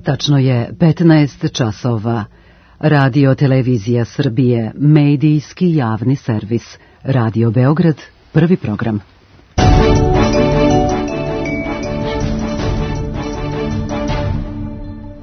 Tačno je 15 časova. Radio Televizija Srbije, medijski javni servis. Radio Beograd, prvi program.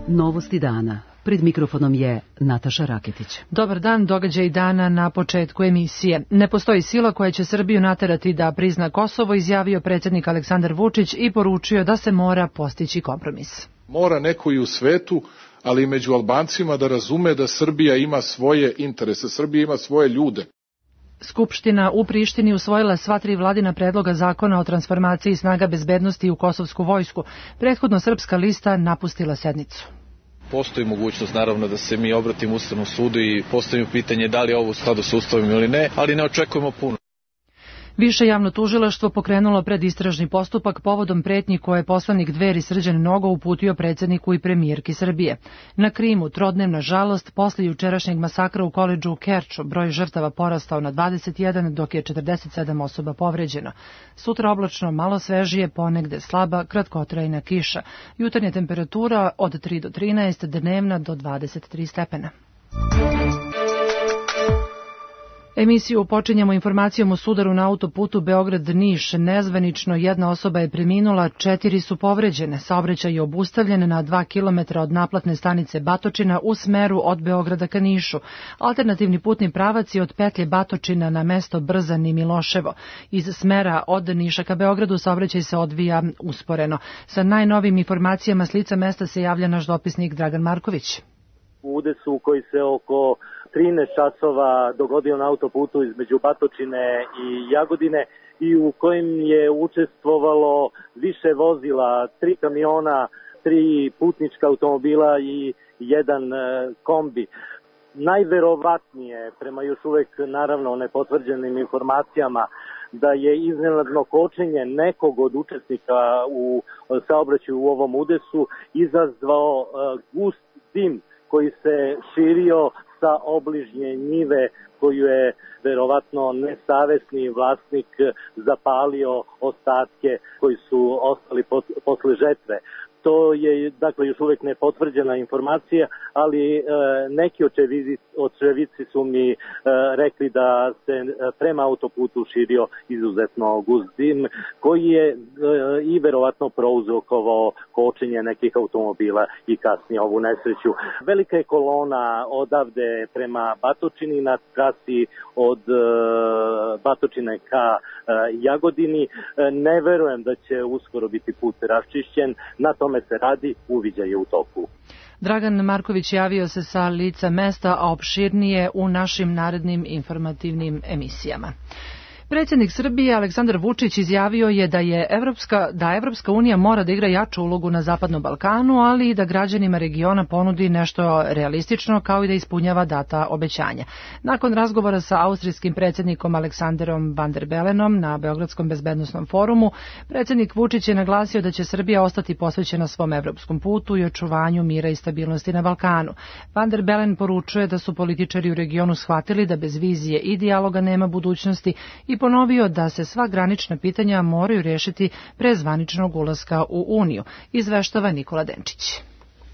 Novosti dana. Pred mikrofonom je Nataša Raketić. Dobar dan, događaj dana na početku emisije. Ne postoji sila koja će Srbiju naterati da prizna Kosovo, izjavio predsjednik Aleksandar Vučić i poručio da se mora postići kompromis. Mora neko i u svetu, ali i među Albancima da razume da Srbija ima svoje interese, Srbija ima svoje ljude. Skupština u Prištini usvojila sva 3 vladina predloga zakona o transformaciji snaga bezbednosti u kosovsku vojsku. Prethodno Srpska lista napustila sednicu. Postoji mogućnost naravno da se mi obratimo Ustavnom sudu i postavimo pitanje da li je ovo u skladu sa Ustavom ili ne, ali ne očekujemo puno. Više javno tužilaštvo pokrenulo predistražni postupak povodom pretnji koje je poslanik Dveri Srđan Nogo uputio predsjedniku i premijerki Srbije. Na Krimu trodnevna žalost posle jučerašnjeg masakra u koledžu u Kerču, broj žrtava porastao na 21, dok je 47 osoba povređeno. Sutra oblačno, malo svežije, ponegde slaba, kratkotrajna kiša. Jutarnja temperatura od 3 do 13, dnevna do 23 stepena. Emisiju počinjemo informacijom o sudaru na autoputu Beograd-Niš. Nezvanično jedna osoba je preminula, 4 su povređene. Saobraćaj je obustavljen na 2 km od naplatne stanice Batočina u smeru od Beograda ka Nišu. Alternativni putni pravac je od petlje Batočina na mesto Brzan i Miloševo. Iz smera od Niša ka Beogradu saobraćaj se odvija usporeno. Sa najnovim informacijama s lica mesta se javlja naš dopisnik Dragan Marković. U udesu koji se oko 13 časova dogodio na autoputu između Batočine i Jagodine i u kojem je učestvovalo više vozila, 3 kamiona, 3 putnička automobila i 1 kombi. Najverovatnije, prema još uvek naravno nepotvrđenim informacijama, da je iznenadno kočenje nekog od učesnika u saobraćaju u ovom udesu izazvao gust dim koji se širio sa obližnje njive koju je verovatno nesavesni vlasnik zapalio ostatke koji su ostali posle žetve. To je, dakle, još uvek nepotvrđena informacija, ali neki očevici su mi rekli da se prema autoputu širio izuzetno gust dim, koji je i verovatno prouzrokovao kočenje nekih automobila i kasnije ovu nesreću. Velika je kolona odavde prema Batočini na trasi od Batočine ka Jagodini. Ne verujem da će uskoro biti put raščišćen. Na tome se radi, uviđaj je u toku. Dragan Marković javio se sa lica mesta, a opširnije u našim narednim informativnim emisijama. Predsjednik Srbije Aleksandar Vučić izjavio je da Evropska unija mora da igra jaču ulogu na Zapadnom Balkanu, ali i da građanima regiona ponudi nešto realistično kao i da ispunjava data obećanja. Nakon razgovora sa austrijskim predsjednikom Aleksanderom Van der Belenom na Beogradskom bezbednosnom forumu, predsjednik Vučić je naglasio da će Srbija ostati posvećena svom evropskom putu i očuvanju mira i stabilnosti na Balkanu. Van der Belen poručuje da su političari u regionu shvatili da bez vizije i dijaloga nema budućnosti i ponovio da se sva granična pitanja moraju rješiti pre zvaničnog ulaska u Uniju, izveštava Nikola Denčić.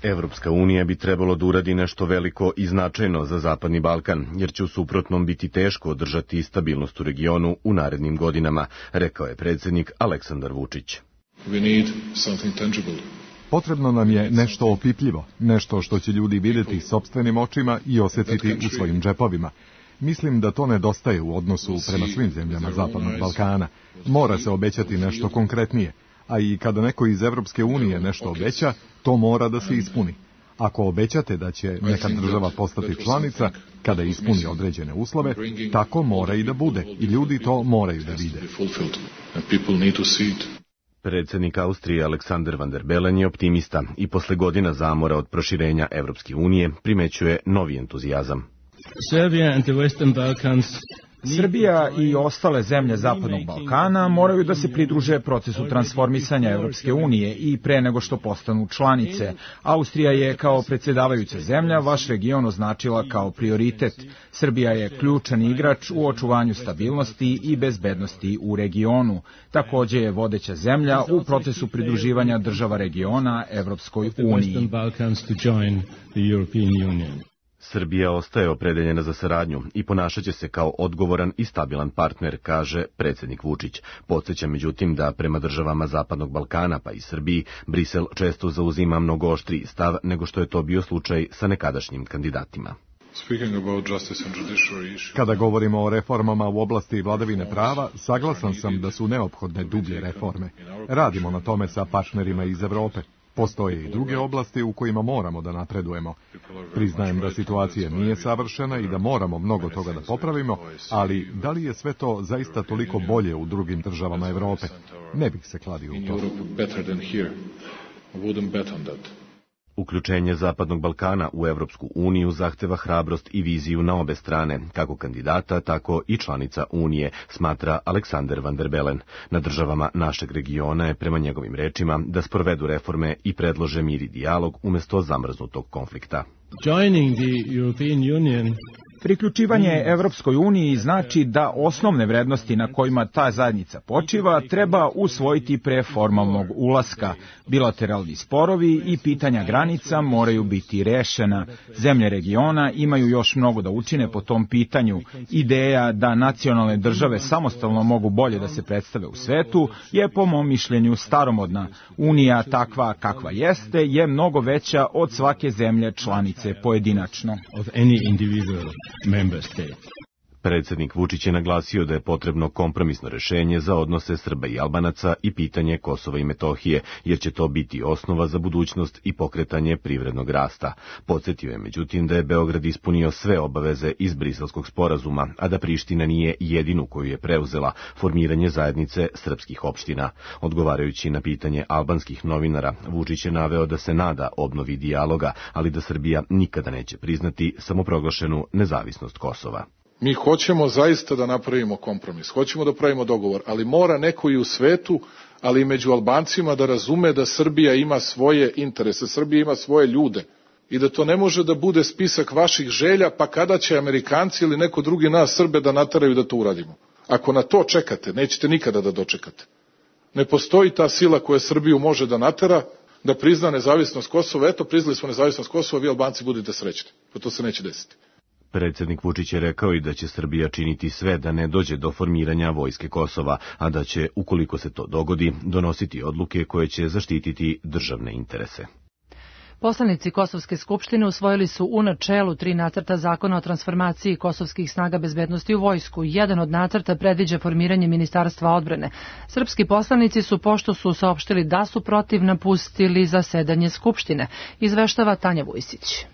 Evropska unija bi trebalo da uradi nešto veliko i značajno za Zapadni Balkan, jer će u suprotnom biti teško održati stabilnost u regionu u narednim godinama, rekao je predsjednik Aleksandar Vučić. Potrebno nam je nešto opipljivo, nešto što će ljudi vidjeti sopstvenim očima i osjetiti u svojim džepovima. Mislim da to nedostaje u odnosu prema svim zemljama Zapadnog Balkana. Mora se obećati nešto konkretnije, a i kada neko iz Evropske unije nešto obeća, to mora da se ispuni. Ako obećate da će neka država postati članica, kada ispuni određene uslove, tako mora i da bude, i ljudi to moraju da vide. Predsjednik Austrije Aleksander Van der Bellen je optimista i posle godina zamora od proširenja Evropske unije primećuje novi entuzijazam. Srbija i ostale zemlje Zapadnog Balkana moraju da se pridruže procesu transformisanja Evropske unije i pre nego što postanu članice. Austrija je kao predsjedavajuća zemlja vaš region označila kao prioritet. Srbija je ključan igrač u očuvanju stabilnosti i bezbednosti u regionu. Takođe je vodeća zemlja u procesu pridruživanja država regiona Evropskoj uniji. Srbija ostaje opredeljena za saradnju i ponašaće se kao odgovoran i stabilan partner, kaže predsjednik Vučić. Podsjeća međutim da prema državama Zapadnog Balkana pa i Srbiji Brisel često zauzima mnogo oštriji stav nego što je to bio slučaj sa nekadašnjim kandidatima. Kada govorimo o reformama u oblasti vladavine prava, saglasan sam da su neophodne dublje reforme. Radimo na tome sa partnerima iz Evrope. Postoje i druge oblasti u kojima moramo da napredujemo. Priznajem da situacija nije savršena i da moramo mnogo toga da popravimo, ali da li je sve to zaista toliko bolje u drugim državama Evrope? Ne bih se kladio u to. Uključenje Zapadnog Balkana u Evropsku uniju zahteva hrabrost i viziju na obe strane, kako kandidata, tako i članica Unije, smatra Aleksander van der Bellen. Na državama našeg regiona je, prema njegovim rečima, da sprovedu reforme i predlože mir i dijalog umjesto zamrznutog konflikta. Priključivanje Evropskoj uniji znači da osnovne vrednosti na kojima ta zajednica počiva treba usvojiti pre formalnog ulaska. Bilateralni sporovi i pitanja granica moraju biti rešena. Zemlje regiona imaju još mnogo da učine po tom pitanju. Ideja da nacionalne države samostalno mogu bolje da se predstave u svetu je po mom mišljenju staromodna. Unija takva kakva jeste je mnogo veća od svake zemlje članice pojedinačno. Predsjednik Vučić je naglasio da je potrebno kompromisno rešenje za odnose Srba i Albanaca i pitanje Kosova i Metohije, jer će to biti osnova za budućnost i pokretanje privrednog rasta. Podsjetio je međutim da je Beograd ispunio sve obaveze iz Briselskog sporazuma, a da Priština nije jedinu koju je preuzela, formiranje zajednice srpskih opština. Odgovarajući na pitanje albanskih novinara, Vučić je naveo da se nada obnovi dijaloga, ali da Srbija nikada neće priznati samoproglašenu nezavisnost Kosova. Mi hoćemo zaista da napravimo kompromis, hoćemo da pravimo dogovor, ali mora neko i u svetu, ali i među Albancima da razume da Srbija ima svoje interese, Srbija ima svoje ljude i da to ne može da bude spisak vaših želja, pa kada će Amerikanci ili neko drugi nas Srbe da nateraju da to uradimo. Ako na to čekate, nećete nikada da dočekate. Ne postoji ta sila koja Srbiju može da natera, da prizna nezavisnost Kosova. Eto, priznali smo nezavisnost Kosova, vi Albanci budete srećni, pa to se neće desiti. Predsjednik Vučić je rekao i da će Srbija činiti sve da ne dođe do formiranja vojske Kosova, a da će, ukoliko se to dogodi, donositi odluke koje će zaštititi državne interese. Poslanici Kosovske skupštine usvojili su u načelu 3 nacrta zakona o transformaciji kosovskih snaga bezbednosti u vojsku. Jedan od nacrta predviđa formiranje Ministarstva odbrane. Srpski poslanici su, pošto su saopštili da su protiv, napustili zasedanje skupštine, izveštava Tanja Vujsić.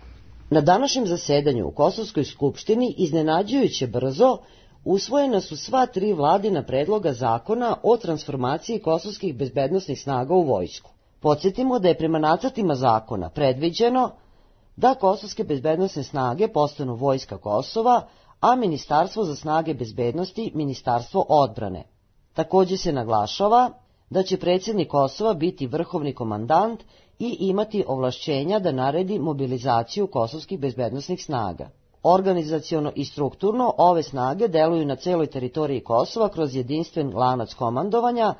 Na današnjem zasedanju u Kosovskoj skupštini iznenađujuće brzo usvojena su sva 3 vladina predloga zakona o transformaciji kosovskih bezbednosnih snaga u vojsku. Podsjetimo da je prema nacrtima zakona predviđeno da kosovske bezbednosne snage postanu Vojska Kosova, a Ministarstvo za snage bezbednosti Ministarstvo odbrane. Također se naglašava da će predsjednik Kosova biti vrhovni komandant i imati ovlašćenja da naredi mobilizaciju kosovskih bezbednosnih snaga. Organizaciono i strukturno ove snage deluju na celoj teritoriji Kosova kroz jedinstven lanac komandovanja,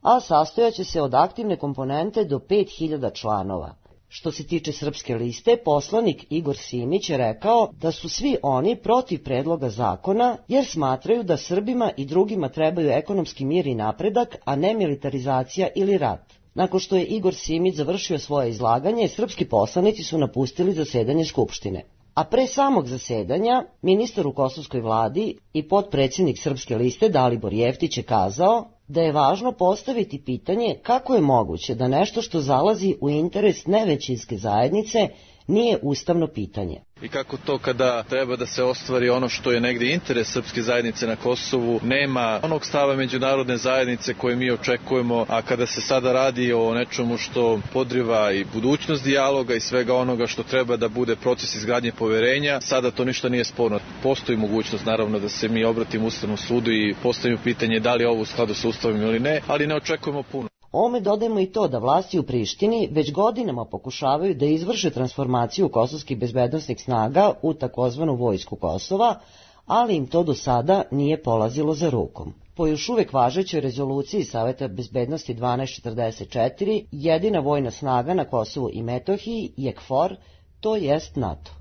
a sastojaće se od aktivne komponente do 5000 članova. Što se tiče Srpske liste, poslanik Igor Simić je rekao da su svi oni protiv predloga zakona jer smatraju da Srbima i drugima trebaju ekonomski mir i napredak, a ne militarizacija ili rat. Nakon što je Igor Simić završio svoje izlaganje, srpski poslanici su napustili zasedanje Skupštine. A pre samog zasedanja, ministar u kosovskoj vladi i potpredsjednik Srpske liste Dalibor Jeftić je kazao da je važno postaviti pitanje kako je moguće da nešto što zalazi u interes nevećinske zajednice nije ustavno pitanje. I kako to kada treba da se ostvari ono što je negde interes srpske zajednice na Kosovu, nema onog stava međunarodne zajednice koje mi očekujemo, a kada se sada radi o nečemu što podriva i budućnost dijaloga i svega onoga što treba da bude proces izgradnje poverenja, sada to ništa nije sporno. Postoji mogućnost naravno da se mi obratimo Ustavnom sudu i postavimo pitanje da li je ovo u skladu sa Ustavom ili ne, ali ne očekujemo puno. Ome dodajemo i to da vlasti u Prištini već godinama pokušavaju da izvrše transformaciju kosovskih bezbednosnih snaga u takozvanu vojsku Kosova, ali im to do sada nije polazilo za rukom. Po još uvek važećoj rezoluciji Saveta bezbednosti 1244, jedina vojna snaga na Kosovu i Metohiji je KFOR, to jest NATO.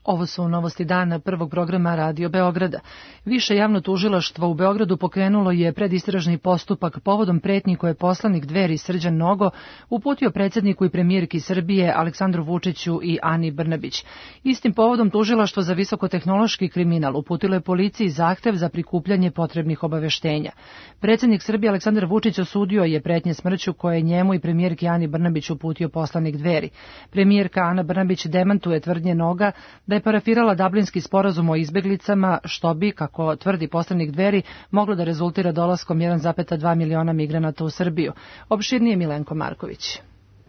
Ovo su novosti dana prvog programa Radio Beograda. Više javno tužilaštvo u Beogradu pokrenulo je predistražni postupak povodom pretnji koje je poslanik Dveri Srđan Nogo uputio predsjedniku i premijerki Srbije Aleksandru Vučiću i Ani Brnabić. Istim povodom tužilaštvo za visokotehnološki kriminal uputilo je policiji zahtev za prikupljanje potrebnih obaveštenja. Predsjednik Srbije Aleksandar Vučić osudio je pretnje smrću koje je njemu i premijerki Ani Brnabić uputio poslanik Dveri. Premijerka Ana Brnabić demantuje tvrdnje Noga da je parafirala Dublinski sporazum o izbeglicama, što bi, kako tvrdi poslanik Dveri, moglo da rezultira dolaskom 1,2 miliona migranata u Srbiju. Opširnije Milenko Marković.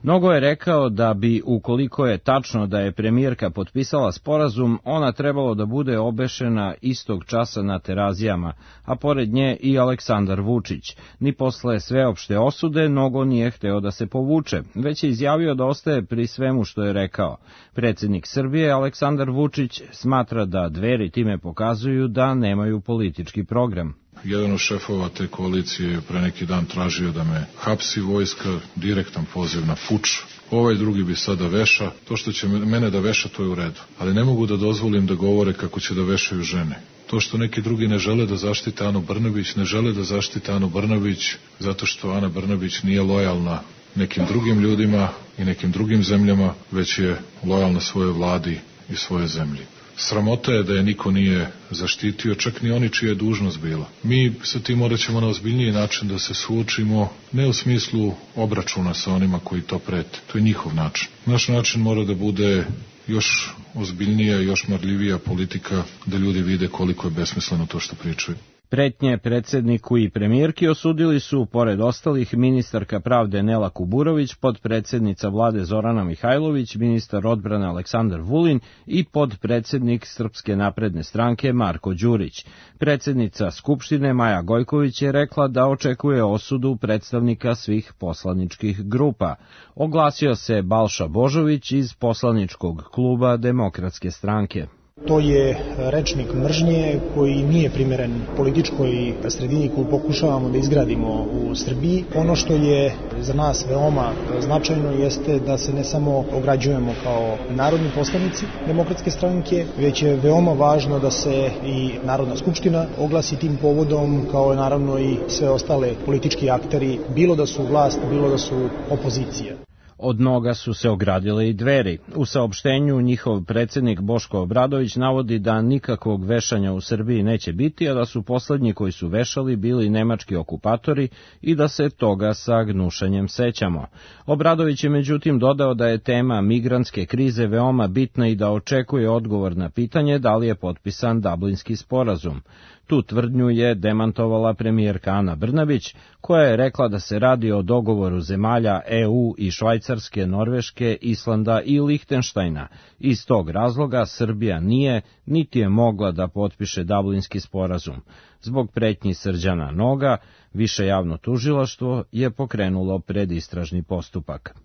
Nogo je rekao da bi, ukoliko je tačno da je premijerka potpisala sporazum, ona trebalo da bude obešena istog časa na Terazijama, a pored nje i Aleksandar Vučić. Ni posle sveopšte osude Nogo nije hteo da se povuče, već je izjavio da ostaje pri svemu što je rekao. Predsjednik Srbije Aleksandar Vučić smatra da Dveri time pokazuju da nemaju politički program. Jedan od šefova te koalicije je pre neki dan tražio da me hapsi vojska, direktan poziv na puč. Ovaj drugi bi sada veša. To što će mene da veša, to je u redu. Ali ne mogu da dozvolim da govore kako će da vešaju žene. To što neki drugi ne žele da zaštite Anu Brnabić, ne žele da zaštite Anu Brnabić zato što Ana Brnabić nije lojalna nekim drugim ljudima i nekim drugim zemljama, već je lojalna svojoj vladi i svojoj zemlji. Sramota je da je niko nije zaštitio, čak ni oni čija je dužnost bila. Mi sa tim morat ćemo na ozbiljniji način da se suočimo, ne u smislu obračuna sa onima koji to prete. To je njihov način. Naš način mora da bude još ozbiljnija, još marljivija politika, da ljudi vide koliko je besmisleno to što pričaju. Pretnje predsjedniku i premijerki osudili su, pored ostalih, ministarka pravde Nela Kuburović, podpredsjednica vlade Zorana Mihajlović, ministar odbrane Aleksandar Vulin i podpredsjednik Srpske napredne stranke Marko Đurić. Predsjednica Skupštine Maja Gojković je rekla da očekuje osudu predstavnika svih poslaničkih grupa. Oglasio se Balša Božović iz poslaničkog kluba Demokratske stranke. To je rečnik mržnje koji nije primeren političkoj sredini koju pokušavamo da izgradimo u Srbiji. Ono što je za nas veoma značajno jeste da se ne samo ograđujemo kao narodni poslanici Demokratske stranke, već je veoma važno da se i Narodna skupština oglasi tim povodom, kao naravno i sve ostale politički akteri, bilo da su vlast, bilo da su opozicija. Od Noga su se ogradile i Dveri. U saopštenju njihov predsjednik Boško Obradović navodi da nikakvog vešanja u Srbiji neće biti, a da su poslednji koji su vešali bili nemački okupatori i da se toga sa gnušanjem sećamo. Obradović je međutim dodao da je tema migrantske krize veoma bitna i da očekuje odgovor na pitanje da li je potpisan Dublinski sporazum. Tu tvrdnju je demantovala premijerka Ana Brnabić, koja je rekla da se radi o dogovoru zemalja EU i Švajcarske, Norveške, Islanda i Lihtenštajna. Iz tog razloga Srbija nije, niti je mogla da potpiše Dublinski sporazum. Zbog pretnji Srđana Noga, Više javno tužilaštvo je pokrenulo predistražni postupak.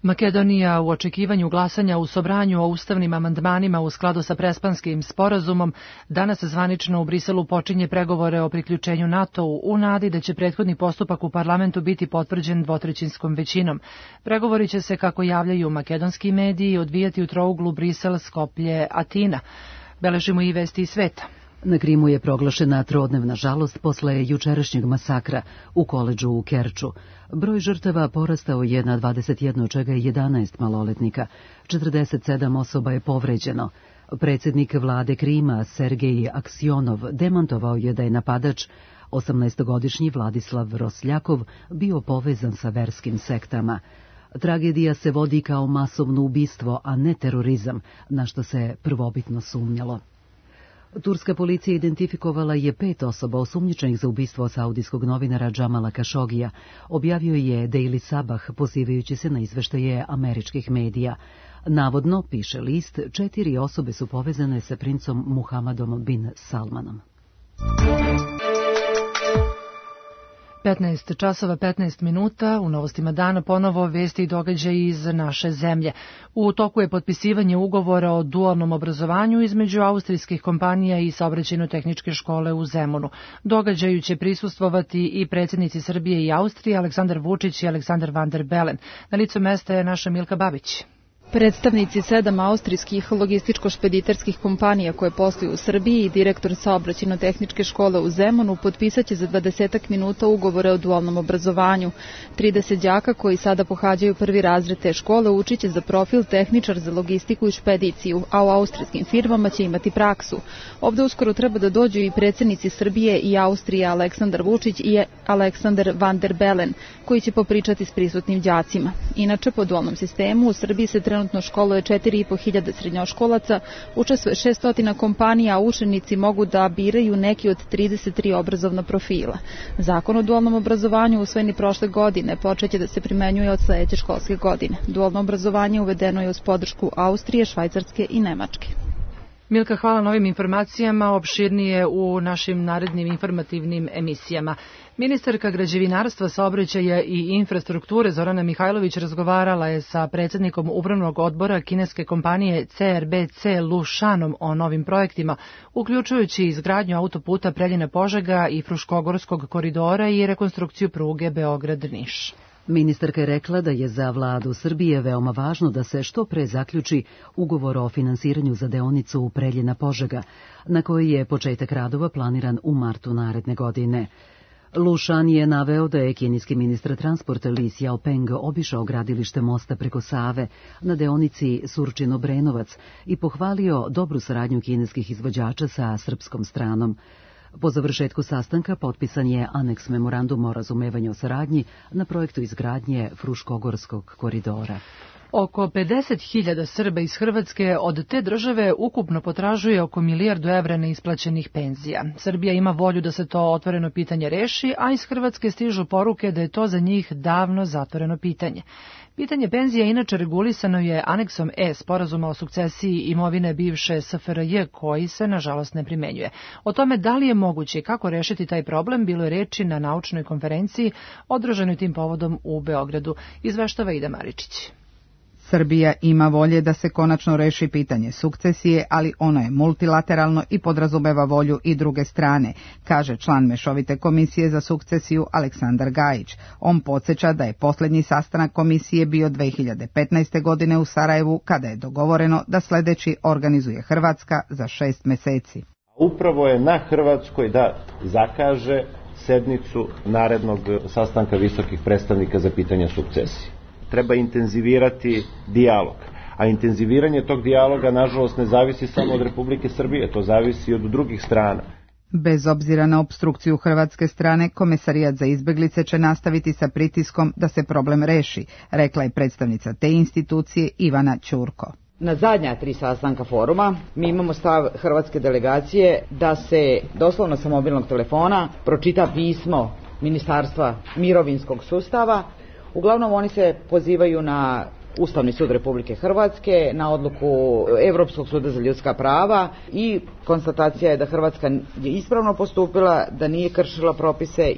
Makedonija u očekivanju glasanja u Sobranju o ustavnim amandmanima u skladu sa Prespanskim sporazumom danas zvanično u Briselu počinje pregovore o priključenju NATO-u u nadi da će prethodni postupak u parlamentu biti potvrđen dvotrećinskom većinom. Pregovori će se, kako javljaju makedonski mediji, odvijati u trouglu Brisel-Skoplje-Atina. Beležimo i vesti iz sveta. Na Krimu je proglašena trodnevna žalost posle jučerašnjeg masakra u koledžu u Kerču. Broj žrtava porastao je na 21, od čega je 11 maloletnika. 47 osoba je povređeno. Predsjednik vlade Krima, Sergej Aksionov, demantovao je da je napadač, 18-godišnji Vladislav Rosljakov, bio povezan sa verskim sektama. Tragedija se vodi kao masovno ubistvo, a ne terorizam, na što se prvobitno sumnjalo. Turska policija identifikovala je 5 osoba osumnjičenih za ubistvo saudijskog novinara Džamala Kašogija, objavio je Daily Sabah pozivajući se na izveštaje američkih medija. Navodno, piše list, 4 osobe su povezane sa princom Muhammadom bin Salmanom. 15 časova 15 minuta, u novostima dana ponovo vesti i događaji iz naše zemlje. U toku je potpisivanje ugovora o dualnom obrazovanju između austrijskih kompanija i Saobraćajno-tehničke škole u Zemunu. Događaju će prisustvovati i predsjednici Srbije i Austrije, Aleksandar Vučić i Aleksandar Van der Bellen. Na licu mesta je naša Milka Babić. Predstavnici 7 austrijskih logističko-špediterskih kompanija koje posluju u Srbiji i direktor Saobraćajno-tehničke škole u Zemunu potpisaće za 20 minuta ugovore o dualnom obrazovanju. 30 đaka koji sada pohađaju prvi razred te škole učiće za profil tehničar za logistiku i špediciju, a u austrijskim firmama će imati praksu. Ovde uskoro treba da dođu i predsjednici Srbije i Austrije Aleksandar Vučić i Aleksandar Van der Bellen, koji će popričati s prisutnim đacima. Inače, po dualnom sistemu u Srbiji se trenutno školuje 4.500 srednjoškolaca, učestvuje 600 kompanija, a učenici mogu da biraju neki od 33 obrazovna profila. Zakon o dualnom obrazovanju usvojeni prošle godine počeće da se primenjuje od sledeće školske godine. Dualno obrazovanje uvedeno je uz podršku Austrije, Švajcarske i Nemačke. Milka, hvala na ovim informacijama, opširnije u našim narednim informativnim emisijama. Ministarka građevinarstva, saobraćaja i infrastrukture Zorana Mihajlović razgovarala je sa predsjednikom upravnog odbora kineske kompanije CRBC Lushanom o novim projektima, uključujući izgradnju autoputa Preljina-Požega i Fruškogorskog koridora i rekonstrukciju pruge Beograd-Niš. Ministarka je rekla da je za vladu Srbije veoma važno da se što pre zaključi ugovor o finansiranju za deonicu Preljina-Požega, na koji je početak radova planiran u martu naredne godine. Lushan je naveo da je kineski ministar transporta Li Xiaopeng obišao gradilište mosta preko Save na deonici Surčin-Obrenovac i pohvalio dobru saradnju kineskih izvođača sa srpskom stranom. Po završetku sastanka potpisan je aneks memoranduma o razumevanju o saradnji na projektu izgradnje Fruškogorskog koridora. Oko 50.000 Srba iz Hrvatske od te države ukupno potražuje oko 1 milijardu evra neisplaćenih penzija. Srbija ima volju da se to otvoreno pitanje reši, a iz Hrvatske stižu poruke da je to za njih davno zatvoreno pitanje. Pitanje penzija inače regulisano je aneksom E sporazuma o sukcesiji imovine bivše SFRJ, koji se nažalost ne primenjuje. O tome da li je moguće i kako rešiti taj problem bilo je reči na naučnoj konferenciji održanoj tim povodom u Beogradu, izveštava Ida Maričić. Srbija ima volje da se konačno reši pitanje sukcesije, ali ono je multilateralno i podrazumeva volju i druge strane, kaže član Mešovite komisije za sukcesiju Aleksandar Gajić. On podsjeća da je posljednji sastanak komisije bio 2015. godine u Sarajevu, kada je dogovoreno da sljedeći organizuje Hrvatska za 6 meseci. Upravo je na Hrvatskoj da zakaže sednicu narednog sastanka visokih predstavnika za pitanja sukcesije. Treba intenzivirati dijalog. A intenziviranje tog dijaloga, nažalost, ne zavisi samo od Republike Srbije, to zavisi i od drugih strana. Bez obzira na opstrukciju hrvatske strane, Komesarijat za izbeglice će nastaviti sa pritiskom da se problem reši, rekla je predstavnica te institucije Ivana Ćurko. Na zadnja 3 sastanka foruma mi imamo stav hrvatske delegacije da se doslovno sa mobilnog telefona pročita pismo Ministarstva mirovinskog sustava. Uglavnom oni se pozivaju na Ustavni sud Republike Hrvatske, na odluku Europskog suda za ljudska prava i konstatacija je da Hrvatska je ispravno postupila, da nije kršila propise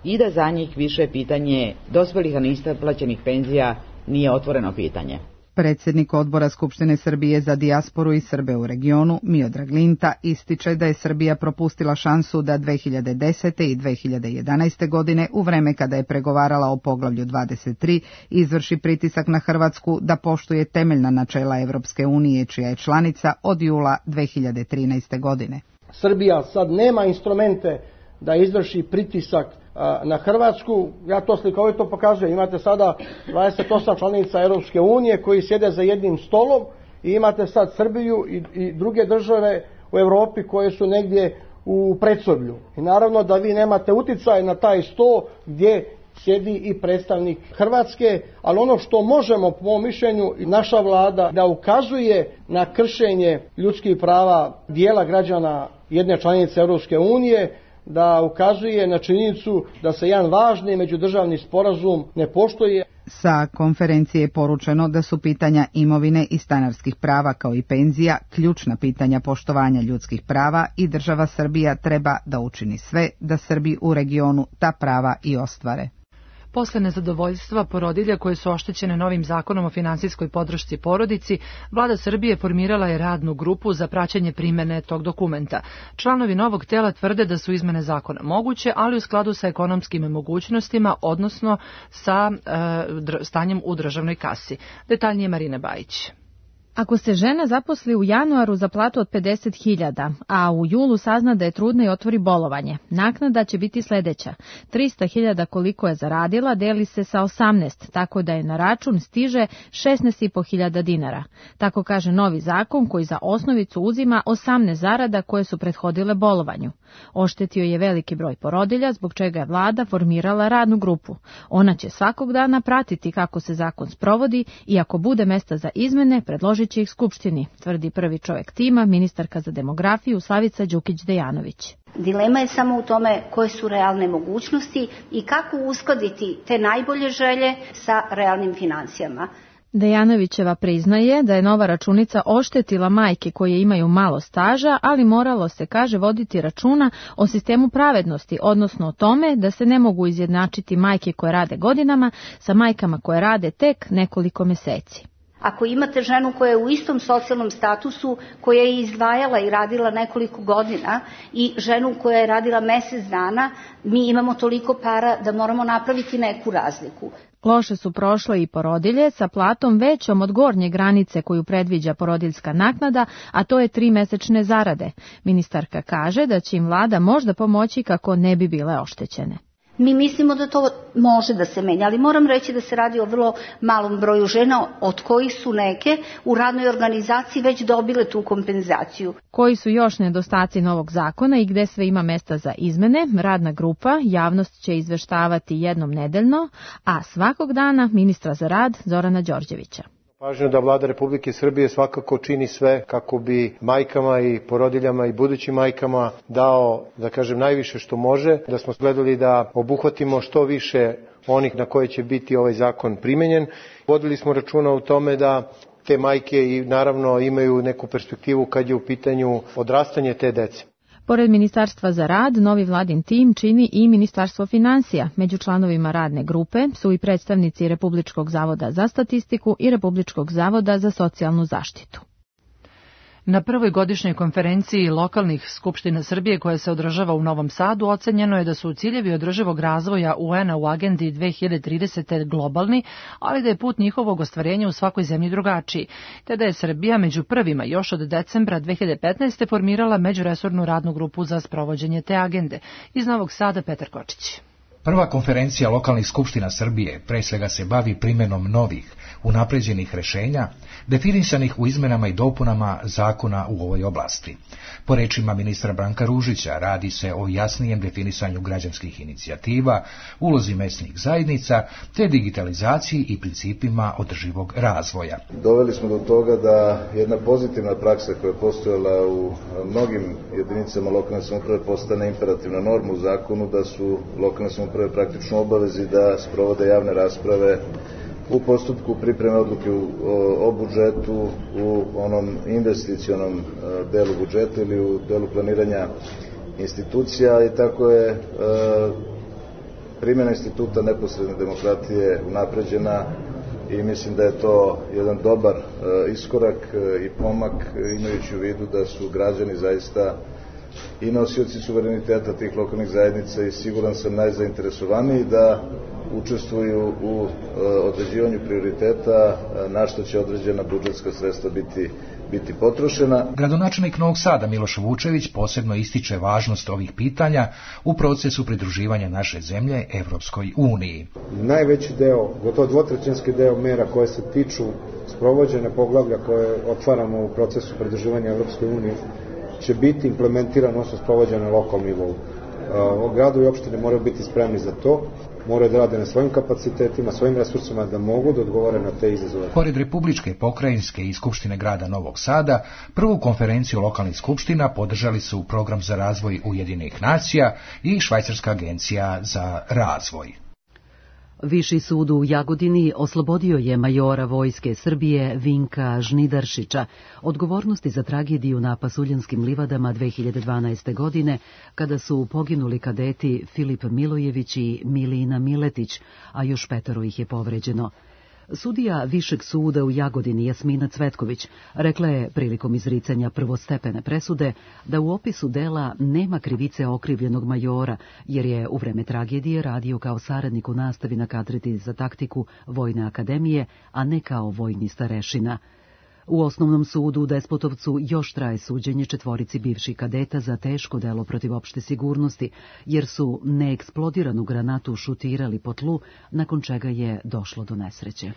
i da za njih više pitanje dospjelih a neisplaćenih penzija nije otvoreno pitanje. Predsjednik odbora Skupštine Srbije za dijasporu i Srbe u regionu, Miodrag Linta, ističe da je Srbija propustila šansu da 2010. i 2011. godine, u vreme kada je pregovarala o poglavlju 23, izvrši pritisak na Hrvatsku da poštuje temeljna načela Evropske unije, čija je članica od jula 2013. godine. Srbija sad nema instrumente da izvrši pritisak na Hrvatsku, ja to slikovito pokazujem. Imate sada 28 članica Europske unije koji sjede za jednim stolom i imate sad Srbiju i druge države u Europi koje su negdje u predsoblju. I naravno da vi nemate uticaj na taj sto gdje sjedi i predstavnik Hrvatske, ali ono što možemo, po mom mišljenju, naša vlada da ukazuje na kršenje ljudskih prava dijela građana jedne članice Europske unije, da ukazuje na činjenicu da se jedan važni međudržavni sporazum ne poštuje. Sa konferencije je poručeno da su pitanja imovine i stanarskih prava kao i penzija ključna pitanja poštovanja ljudskih prava i država Srbija treba da učini sve da Srbi u regionu ta prava i ostvare. Posle nezadovoljstva porodilja koje su oštećene novim zakonom o finansijskoj podršci porodici, vlada Srbije formirala je radnu grupu za praćenje primene tog dokumenta. Članovi novog tela tvrde da su izmene zakona moguće, ali u skladu sa ekonomskim mogućnostima, odnosno sa stanjem u državnoj kasi. Detaljnije Marina Bajić. Ako se žena zaposli u januaru za platu od 50.000, a u julu sazna da je trudna i otvori bolovanje, naknada će biti sledeća. 300.000 koliko je zaradila deli se sa 18, tako da je na račun stiže 16.500 dinara. Tako kaže novi zakon koji za osnovicu uzima 18 zarada koje su prethodile bolovanju. Oštetio je veliki broj porodilja, zbog čega je vlada formirala radnu grupu. Ona će svakog dana pratiti kako se zakon sprovodi i ako bude mesta za izmene, predložit će ih Skupštini, tvrdi prvi čovjek tima, ministarka za demografiju Slavica Đukić-Dejanović. Dilema je samo u tome koje su realne mogućnosti i kako uskladiti te najbolje želje sa realnim financijama. Dejanovićeva priznaje da je nova računica oštetila majke koje imaju malo staža, ali moralo se, kaže, voditi računa o sistemu pravednosti, odnosno o tome da se ne mogu izjednačiti majke koje rade godinama sa majkama koje rade tek nekoliko meseci. Ako imate ženu koja je u istom socijalnom statusu, koja je izdvajala i radila nekoliko godina i ženu koja je radila mesec dana, mi imamo toliko para da moramo napraviti neku razliku. Loše su prošle i porodilje sa platom većom od gornje granice koju predviđa porodiljska naknada, a to je 3 mesečne zarade. Ministarka kaže da će im vlada možda pomoći kako ne bi bile oštećene. Mi mislimo da to može da se menja, ali moram reći da se radi o vrlo malom broju žena, od kojih su neke u radnoj organizaciji već dobile tu kompenzaciju. Koji su još nedostaci novog zakona i gde sve ima mesta za izmene, radna grupa javnost će izveštavati jednom nedeljno, a svakog dana ministra za rad Zorana Đorđevića. Važno je da vlada Republike Srbije svakako čini sve kako bi majkama i porodiljama i budućim majkama dao, da kažem, najviše što može, da smo gledali da obuhvatimo što više onih na koje će biti ovaj zakon primenjen. Vodili smo računa u tome da te majke i naravno imaju neku perspektivu kad je u pitanju odrastanje te dece. Pored Ministarstva za rad, novi vladin tim čini i Ministarstvo finansija. Među članovima radne grupe su i predstavnici Republičkog zavoda za statistiku i Republičkog zavoda za socijalnu zaštitu. Na prvoj godišnjoj konferenciji lokalnih skupština Srbije koja se održava u Novom Sadu ocenjeno je da su ciljevi održivog razvoja UN-a u agendi 2030. globalni, ali da je put njihovog ostvarenja u svakoj zemlji drugačiji, te da je Srbija među prvima još od decembra 2015. formirala međuresornu radnu grupu za sprovođenje te agende. Iz Novog Sada Petar Kočić. Prva konferencija lokalnih skupština Srbije pre svega se bavi primjenom novih, unapređenih rešenja, definisanih u izmenama i dopunama zakona u ovoj oblasti. Po rečima ministra Branka Ružića, radi se o jasnijem definisanju građanskih inicijativa, ulozi mesnih zajednica, te digitalizaciji i principima održivog razvoja. Doveli smo do toga da jedna pozitivna praksa koja je postojala u mnogim jedinicama lokalne samouprave postane imperativna norma u zakonu, da su lokalne samouprave praktično obavezi da sprovode javne rasprave u postupku pripreme odluke o budžetu, u onom investicionom delu budžeta ili u delu planiranja institucija, i tako je primjena instituta neposredne demokratije unapređena i mislim da je to jedan dobar iskorak i pomak, imajući u vidu da su građani zaista i nosioci suvereniteta tih lokalnih zajednica i siguran sam najzainteresovaniji da učestvuju u određivanju prioriteta na što će određena budžetska sredstva biti potrošena. Gradonačelnik Novog Sada Miloš Vučević posebno ističe važnost ovih pitanja u procesu pridruživanja naše zemlje Evropskoj uniji. Najveći deo, gotovo dvotrećinski deo mera koje se tiču sprovođenja poglavlja koje otvaramo u procesu pridruživanja Evropskoj uniji će biti implementirano, odnosno sprovođeno na lokalnom nivou. Gradu i opštine moraju biti spremni za to. moraju da rade na svojim kapacitetima, svojim resursima da mogu da odgovore na te izazove. Pored Republičke, pokrajinske i Skupštine grada Novog Sada, prvu konferenciju lokalnih skupština podržali su Program za razvoj Ujedinjenih nacija i Švajcarska agencija za razvoj. Viši sud u Jagodini oslobodio je majora Vojske Srbije Vinka Žnidaršića odgovornosti za tragediju na Pasuljanskim livadama 2012. godine, kada su poginuli kadeti Filip Milojević i Milina Miletić, a još 5 ih je povređeno. Sudija Višeg suda u Jagodini Jasmina Cvetković rekla je prilikom izricanja prvostepene presude da u opisu dela nema krivice okrivljenog majora, jer je u vreme tragedije radio kao saradnik u nastavi na katedri za taktiku Vojne akademije, a ne kao vojni starešina. U Osnovnom sudu u Despotovcu još traje suđenje 4 bivših kadeta za teško delo protiv opšte sigurnosti, jer su neeksplodiranu granatu šutirali po tlu, nakon čega je došlo do nesreće.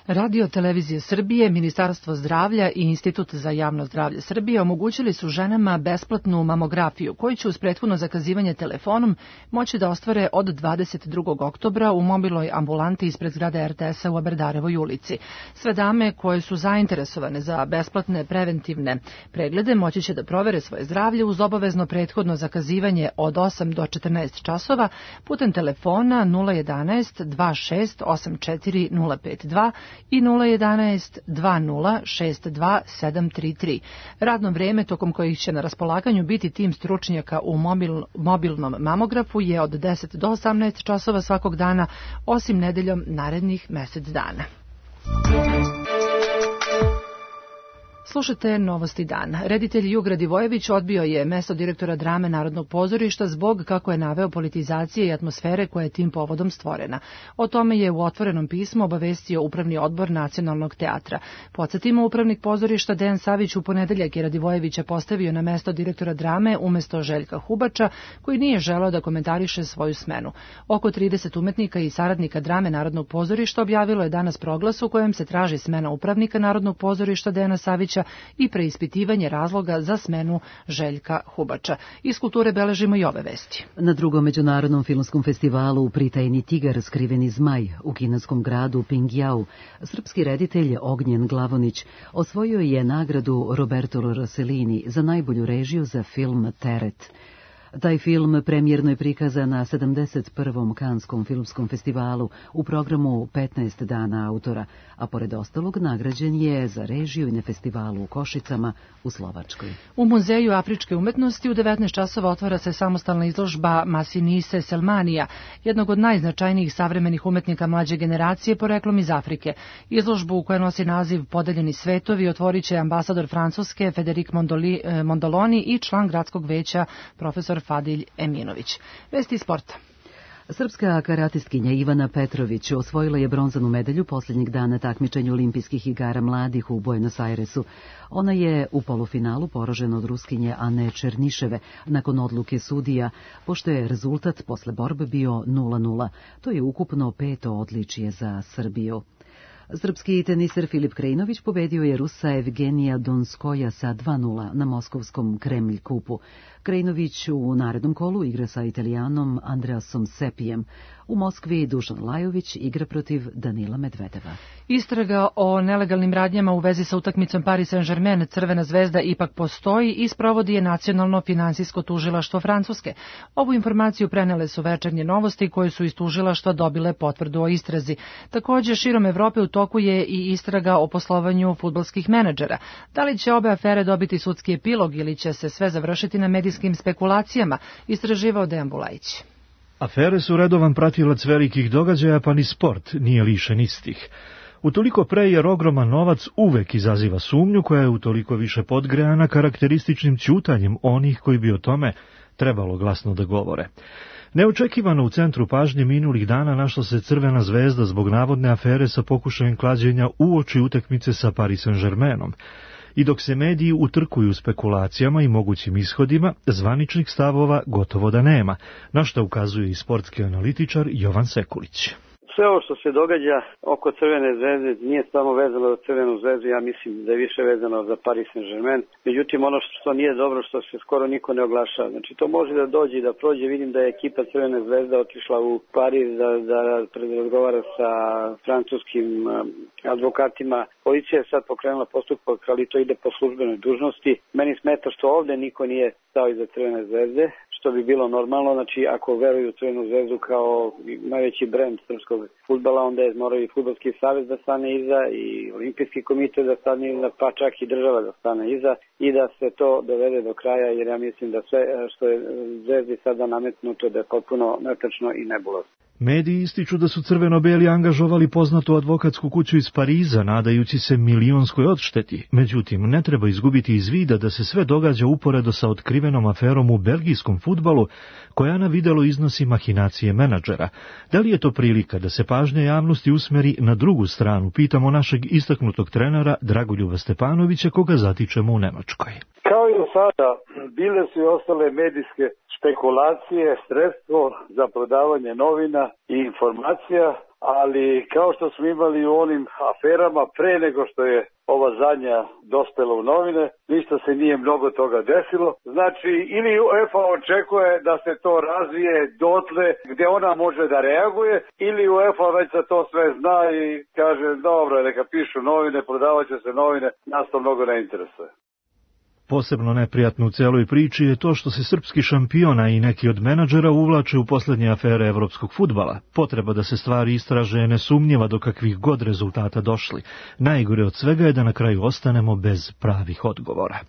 Radio Televizije Srbije, Ministarstvo zdravlja i Institut za javno zdravlje Srbije omogućili su ženama besplatnu mamografiju, koju će uz prethodno zakazivanje telefonom moći da ostvare od 22. oktobra u mobilnoj ambulanti ispred zgrade RTS-a u Aberdarevoj ulici. Sve dame koje su zainteresovane za besplatne preventivne preglede moći će da provere svoje zdravlje uz obavezno prethodno zakazivanje od 8 do 14 časova putem telefona 011 26 84 052 i 011 20 62 733. Radno vreme tokom kojih će na raspolaganju biti tim stručnjaka u mobilnom mamografu je od 10 do 18 časova svakog dana, osim nedeljom narednih mesec dana. Slušajte Novosti dana. Reditelj Jug Radivojević odbio je mesto direktora drame Narodnog pozorišta zbog, kako je naveo, politizacije i atmosfere koja je tim povodom stvorena. O tome je u otvorenom pismu obavestio Upravni odbor Nacionalnog teatra. Podsjetimo, upravnik pozorišta Dejan Savić u ponedeljak je Radivojevića postavio na mesto direktora drame umesto Željka Hubača, koji nije želeo da komentariše svoju smenu. Oko 30 umetnika i saradnika drame Narodnog pozorišta objavilo je danas proglas u kojem se traži smena upravnika Narodnog pozorišta Dejana Savića i preispitivanje razloga za smenu Željka Hubača. Iz kulture beležimo i ove vesti. Na drugom međunarodnom filmskom festivalu Pritajni tigar, skriveni zmaj u kineskom gradu Pingjau, srpski reditelj Ognjen Glavonić osvojio je nagradu Roberto Rossellini za najbolju režiju za film Teret. Taj film premijerno je prikazan na 71. Kanskom filmskom festivalu u programu 15 dana autora, a pored ostalog nagrađen je za režiju i na festivalu u Košicama u Slovačkoj. U Muzeju afričke umetnosti u 19 časova otvara se samostalna izložba Masinise Selmanija, jednog od najznačajnijih savremenih umetnika mlađe generacije poreklom iz Afrike. Izložbu koja nosi naziv Podeljeni svetovi otvorit će ambasador Francuske Federic Mondoloni i član gradskog veća profesor Fadilj Eminović. Vesti iz sporta. Srpska karatistkinja Ivana Petrović osvojila je bronzanu medalju posljednjeg dana takmičenja olimpijskih igara mladih u Buenos Airesu. Ona je u polufinalu poražena od Ruskinje Ane Černiševe nakon odluke sudija, pošto je rezultat posle borbe bio 0:0. To je ukupno 5. odličje za Srbiju. Srpski teniser Filip Krajinović pobedio je Rusa Evgenija Donskoja sa 2:0 na moskovskom Kremlj kupu. Krajinović u narednom kolu igra sa Italijanom Andreasom Sepijem. U Moskvi Dušan Lajović igra protiv Danila Medvedeva. Istraga o nelegalnim radnjama u vezi sa utakmicom Paris Saint-Germain Crvena zvezda ipak postoji i sprovodi je Nacionalno finansijsko tužilaštvo Francuske. Ovu informaciju prenele su Večernje novosti koje su iz tužilaštva dobile potvrdu o istrazi. Također širom Evrope u toku je i istraga o poslovanju fudbalskih menadžera. Da li će obe afere dobiti sudski epilog ili će se sve završiti na medijskim spekulacijama, istraživao Dejan Bulajić. Afere su redovan pratilac velikih događaja, pa ni sport nije lišen istih. Utoliko pre jer ogroman novac uvek izaziva sumnju koja je utoliko više podgrejana karakterističnim ćutanjem onih koji bi o tome trebalo glasno da govore. Neočekivano u centru pažnje minulih dana našla se Crvena zvezda zbog navodne afere sa pokušajem klađenja uoči utakmice sa Paris Saint-Germainom. I dok se mediji utrkuju spekulacijama i mogućim ishodima, zvaničnih stavova gotovo da nema, na što ukazuje i sportski analitičar Jovan Sekulić. Sve ovo što se događa oko Crvene zvezde nije samo vezano za Crvenu zvezdu, ja mislim da je više vezano za Paris Saint-Germain. Međutim, ono što nije dobro, što se skoro niko ne oglašava. Znači, to može da dođe i da prođe. Vidim da je ekipa Crvene zvezde otišla u Pariz da razgovara sa francuskim advokatima. Policija je sad pokrenula postupak, ali to ide po službenoj dužnosti. Meni smeta što ovde niko nije stao iza Crvene zvezde, što bi bilo normalno. Znači, ako veruju u Crvenu zvezdu kao najveći brend srpskog fudbala, onda je morao i Fudbalski savez da stane iza i Olimpijski komitet da stane iza, pa čak i država da stane iza i da se to dovede do kraja, jer ja mislim da sve što je zvezdi sada nametnuto da je potpuno netačno i nebulozno. Mediji ističu da su crveno-beli angažovali poznatu advokatsku kuću iz Pariza, nadajući se milionskoj odšteti. Međutim, ne treba izgubiti iz vida da se sve događa uporedo sa otkrivenom aferom u belgijskom fudbalu, koja na videlo iznosi mahinacije menadžera. Da li je to prilika da se pažnja javnosti usmeri na drugu stranu, pitamo našeg istaknutog trenera Dragoljuba Stepanovića, koga zatičemo u Nemačkoj. Kao i do sada, bile su i ostale medijske špekulacije, sredstvo za prodavanje novina i informacija, ali kao što smo imali u onim aferama pre nego što je ova zadnja dospela u novine, ništa se nije mnogo toga desilo. Znači, ili UEFA očekuje da se to razvije dotle gdje ona može da reaguje, ili UEFA već za to sve zna i kaže, dobro, neka pišu novine, prodavat će se novine, nas to mnogo ne interesuje. Posebno neprijatno u celoj priči je to što se srpski šampiona i neki od menadžera uvlače u poslednje afere evropskog fudbala. Potreba da se stvari istraže je nesumnjiva do kakvih god rezultata došli. Najgore od svega je da na kraju ostanemo bez pravih odgovora.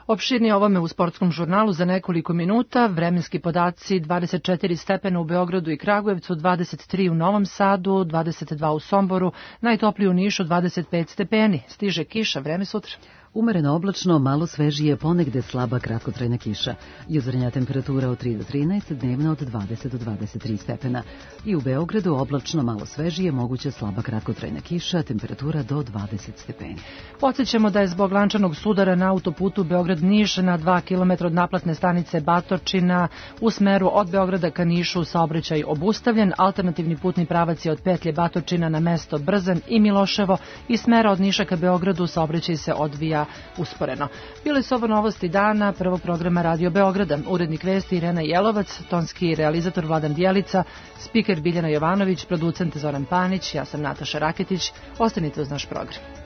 Opširnije ovome u sportskom žurnalu za nekoliko minuta. Vremenski podaci: 24 stepena u Beogradu i Kragujevcu, 23 u Novom Sadu, 22 u Somboru, najtopliji u Nišu 25 stepeni. Stiže kiša, vreme sutra. Umereno oblačno, malo svežije, ponegde slaba kratkotrajna kiša. Jutarnja temperatura od 3 do 13, dnevna od 20 do 23 stepena. I u Beogradu oblačno, malo svežije, moguća slaba kratkotrajna kiša, temperatura do 20 stepeni. Podsjećamo da je zbog lančanog sudara na autoputu Beograd-Niš na 2 km od naplatne stanice Batočina u smeru od Beograda ka Nišu saobraćaj obustavljen. Alternativni putni pravac je od petlje Batočina na mesto Brzan i Miloševo i smera od Niša ka Beogradu saobraćaj se odvija usporeno. Bile su ovo novosti dana prvog programa Radio Beograda. Urednik vesti Irena Jelovac, tonski realizator Vladan Dijelica, spiker Biljana Jovanović, producent Zoran Panić, ja sam Nataša Raketić. Ostanite uz naš program.